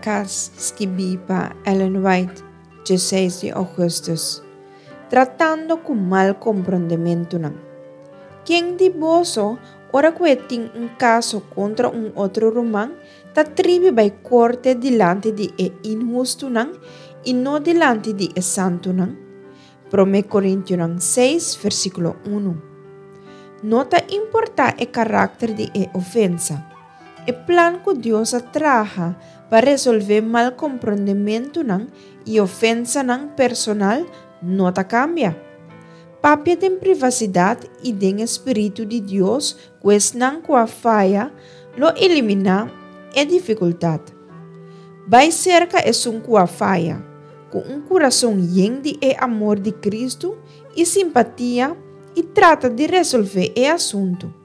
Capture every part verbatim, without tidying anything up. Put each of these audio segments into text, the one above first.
pa kas, skibí pa Ellen White, diesseis di ougùstùs. Tratando ku malkomprondementunan. Ken di boso, ora ku e tin un kaso kontra un otro ruman, ta tribi bai korte dilanti di e inhustunan i no dilanti di e santunan? Promé Korintionan seis, versíkulo un. No ta importá e karakter di e ofensa. E plan ku Dios a traha pa resolvé malkomprondementunan i ofensanan personal no ta kambia. Papia den privasidat i den spiritu di Dios ku esnan ku a faya lo eliminá e difikultat. Bai serka esun ku a faya, ku un kurason yen di e amor di Kristu i simpatia i trata di resolvé e asuntu.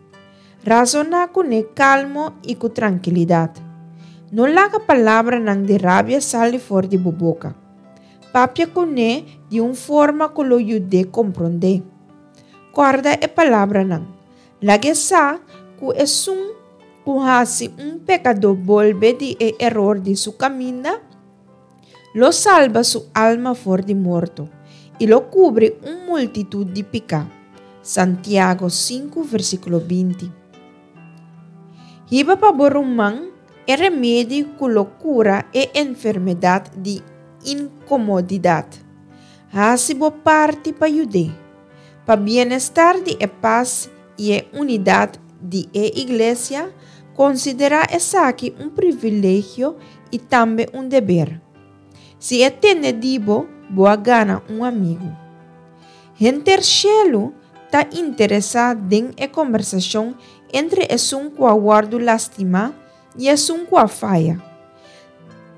Rasoná kuné kalmo i ku trankilidat. No laga palabranan di rabia sali for di bo boka. Papia kuné di un forma ku lo yud'é komprondé. Kòrda e palabranan. Lag'é sa ku esun ku hasi un pekadó bolbe di e eror di su kaminda, lo salba su alma for di morto i lo kubri un multitut di piká. Santiago sinku versíkulo binti. Hiba pa bo ruman e remedi ku lo kura e enfermedat di inkomodidat. Hasi bo parti pa yud'é. Pa bienestar di e pas i e unidat di e iglesia, konsiderá esaki un privilegio i tambe un deber. Si e tende di bo, bo a gana un amigu. Henter shelu ta interesá den e kombersashon entre esun ku a wòrdu lastimá i esun ku a faya.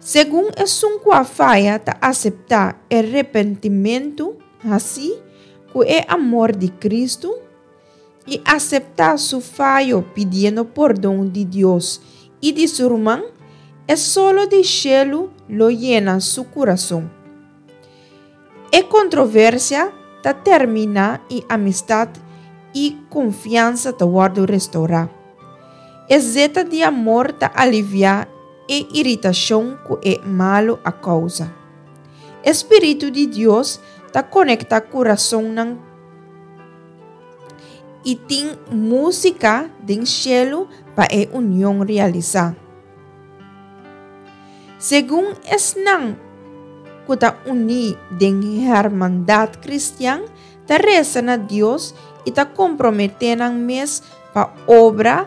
Segun esun ku a faya ta aseptá e repentimentu hasí ku e amor di Kristu i aseptá su fayo pidiendo pordon di Dios i di su ruman, e solo di shelu lo yena su kurason. E kontroversia ta terminá i amistat i konfiansa ta wòrdu restourá. E zeta di amor ta aliviá e iritashon ku e malu a kousa. E spiritu di Dios ta konektá kurasonnan i tin músika den shelu pa e union realisá. Segun esnan ku ta uní den hermandat kristian ta resa na Dios i ta komprometé nan mes pa obra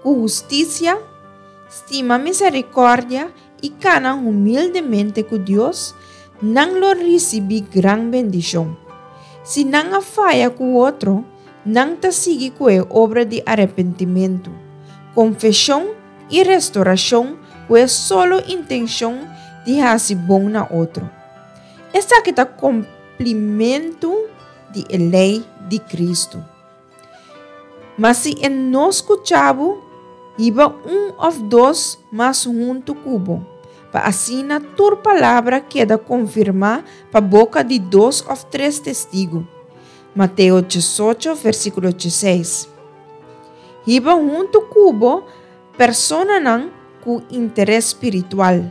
ku hustisia, stima miserikòrdia i kana humildemente ku Dios, nan lo risibí gran bendishon. Si nan a faya ku otro, nan ta sigui ku e obra di arepentimentu, konfeshon i restourashon ku e solo intenshon di hasi bon na otro. Esaki ta kumplimentu di e lei di Kristu. Ma si e no skucha bo, hiba un òf dos mas huntu ku bo, pa asina tur palabra keda konfirmá pa boka di dos òf tres testigu. Mateo diesocho, versíkulo diesseis. Hiba huntu ku bo personanan ku interes spiritual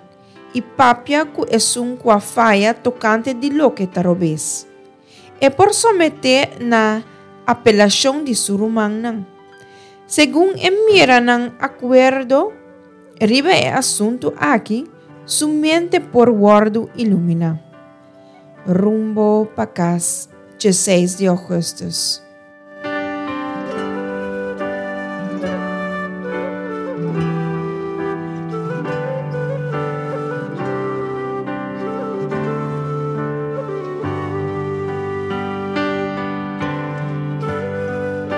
i papia ku esun ku a faya tokante di loke ta robes. E por someté na apelashon di su rumannan. Segun e mira nan akuerdo riba e asuntu aki, su mente por wòrdu iluminá. Rumbo pa kas, diesseis di ougùstùs.